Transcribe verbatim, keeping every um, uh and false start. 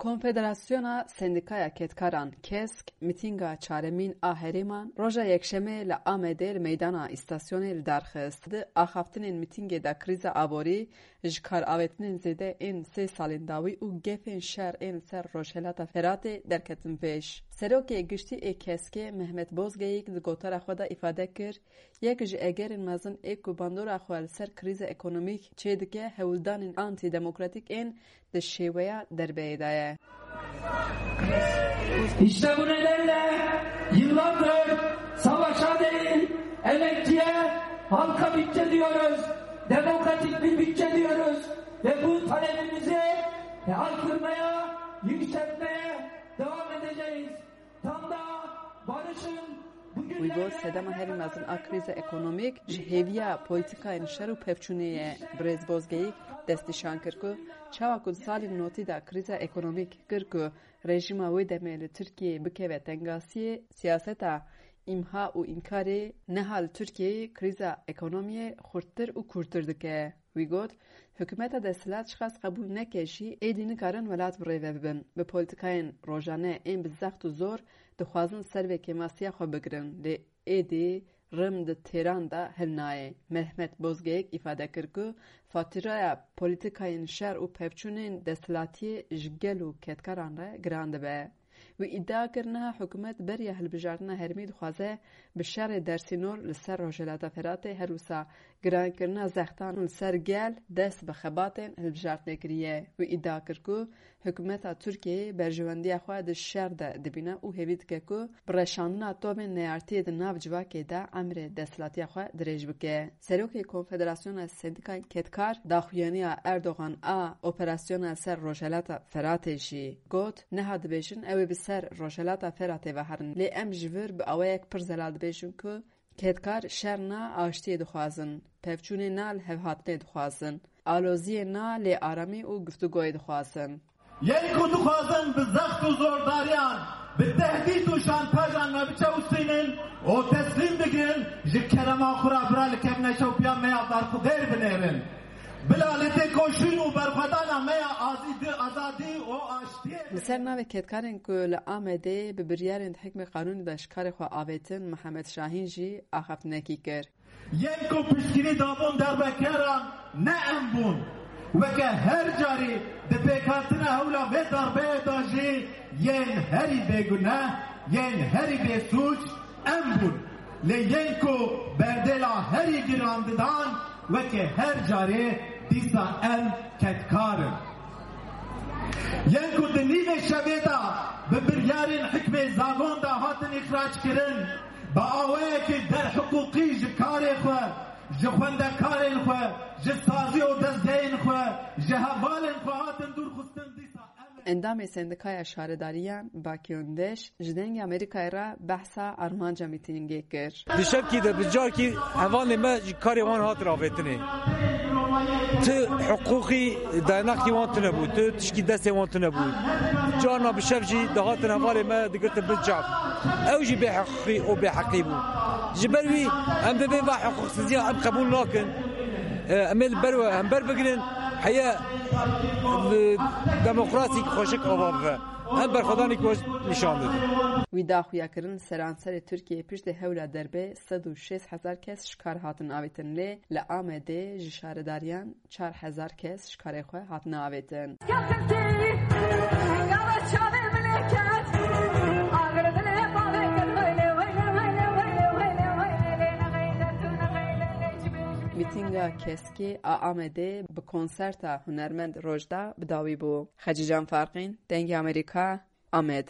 Konfederasyona Sendîkaya Kedkaran, kesk, mîtînga çaremîn a herêman roja Yekşemê li Amedê li meydana îstasyonê li dar xist. Di axaftinên mîtîngê de krîza aborî, ji kar avêtinên zêde ên sê salên dawî û gefên şer ên li ser Rojhelata Feratê derketin pêş. Serokê Giştî ê keskê Mehmet Bozgeyik di gotara xwe de îfade kir, yek ji egerên mezin ê ku bandora xwe li ser krîza ekonomîk çêdike, hewldanên antîdemokratîk ên di şêweya derbeyê de ye. İşte bu nedenle yıllardır savaşa değil, emekçiye, halka bütçe diyoruz, demokratik bir bütçe diyoruz ve bu talebimizi haykırmaya, yükseltmeye devam edeceğiz. Tam da barışın bugünlerde... Wî got, sedema herî mezin a krîza ekonomîk ji hêviya polîtîkayên şer û pevçûnê ye. Birêz Bozgeyik destnîşan kir ku çawa ku di salên notî de krîza ekonomîk kir ku rejîma wê demê li Tirkiyeyê bikeve tengasiyê, siyaseta îmha û înkarê niha li Tirkiyeyê krîza ekonomiyê xurttir û kûrtir dike. Wî got, hikûmeta desthilat çiqas qebûl neke jî, êdî nikarin welat bi rê ve bibin. Bi polîtîkayên rojane ên bi zext û zor dixwazin ser vê kêmasiya xwe bigirin. Lê êdî rim di têran de hilnayê. Mehmet Bozgeyik îfade kir ku fatîraya polîtîkayên şer û pevçûnên desthilatiyê ji gel û kedkaran re giran dibe. Wî îdia kir, niha hikûmet beriya hilbijartina herêmî dixwaze bi şerê dersînor li ser Rojhilata Feratê, her wisa girankirina zextan li ser gel dest bi xebatên hilbijartinê kiriye. Wî îdia kir ku hikûmeta Tirkiyeyê berjewendiya xwe di şer de dibîne û hêvî dike ku bi reşandina tovên neyartiyê di nav civakê de emrê desthilatiya xwe dirêj bike. Serokê Konfederasyona Sendîkayên Kedkar daxuyaniya Erdogan a operasyona ser Rojhelata Feratê jî got, niha dibêjin ew ê bi ser Rojhelata Feratê ve herin, lê em ji vir bi awayek pir zelal dibêjin ku kedkar şer na aştiyê dixwazin, pevçûnê na lihevhatinê dixwazin, aloziyê na lê aramî û guftûgoyê dixwazin. Yên ku dixwazin bi zext û zordariyan, bi tehdît û şantajan me biçewsînin û teslîm bigirin, ji kerema xwe re bira li kevneşewpiya me ya berxwedêr binêrin. Bila li têkoşîn û berxwedana me ya azî-, azadî û aştiyê. Li ser navê kedkarên ku li Amedê bi biryarên di hikmê qanûnê de ji karê xwe avêtin, Mihemed Şahîn jî axaftinekî kir. Yên ku piştgirî dabûn derbekeran ne em bûn. Weke her carî di pêkhatina hewla vê darbeyê de jî yên herî bêguneh, yên herî bêsûc em bûn. Lê yên ku berdêla herî giran didan, weke her carê dîsa em kedkar in. Yên ku di nîvê şevê de bi biryarên hikmê zagon de hatin îxrac kirin, bi awayekî derhiqûqî ji karê xwe, ji xwendekarên xwe, ji sazî û dezgehên xwe, ji hevalên xwe hatin dûr xistin, dîsa em ê... Endamê Sendikaya Şaredariyan Bakî Öndeş ji Dengê Amerîkayê re behsa armanca mîtîngê kir. Di şevkî de bi carkî hevalê me ji karê wan hat ravêtinê. Ti hiqûqî dayanakî wan tune bû, tu tişkî destê wan tune bû. Carna bi şev jî dihatin hevalê me digirtin bin çav. Ew jî bê hiqûqî û bê heqî bû. Ji ber wî em divê va hiqûqsiziya em qebûl nakin. E, em ê li ber we hember bigrin, heye li demokrasîk xweşik ava bibe. Em berxwedanî ku nîşan didin. Wî da xuyakirin seranserê Tirkiyeyê piştî hewla derbê sed û şêst hezar kes ji kar hatin avêtin, lê li Amedê ji şaredariyan çar hezar kes ji karê xwe hatine avêtin. Mîtînga keskê a Amedê bi konserta hunermend Rojda bi dawî bû. Xecîcan Farqîn, Dengê Amerîka, Amed.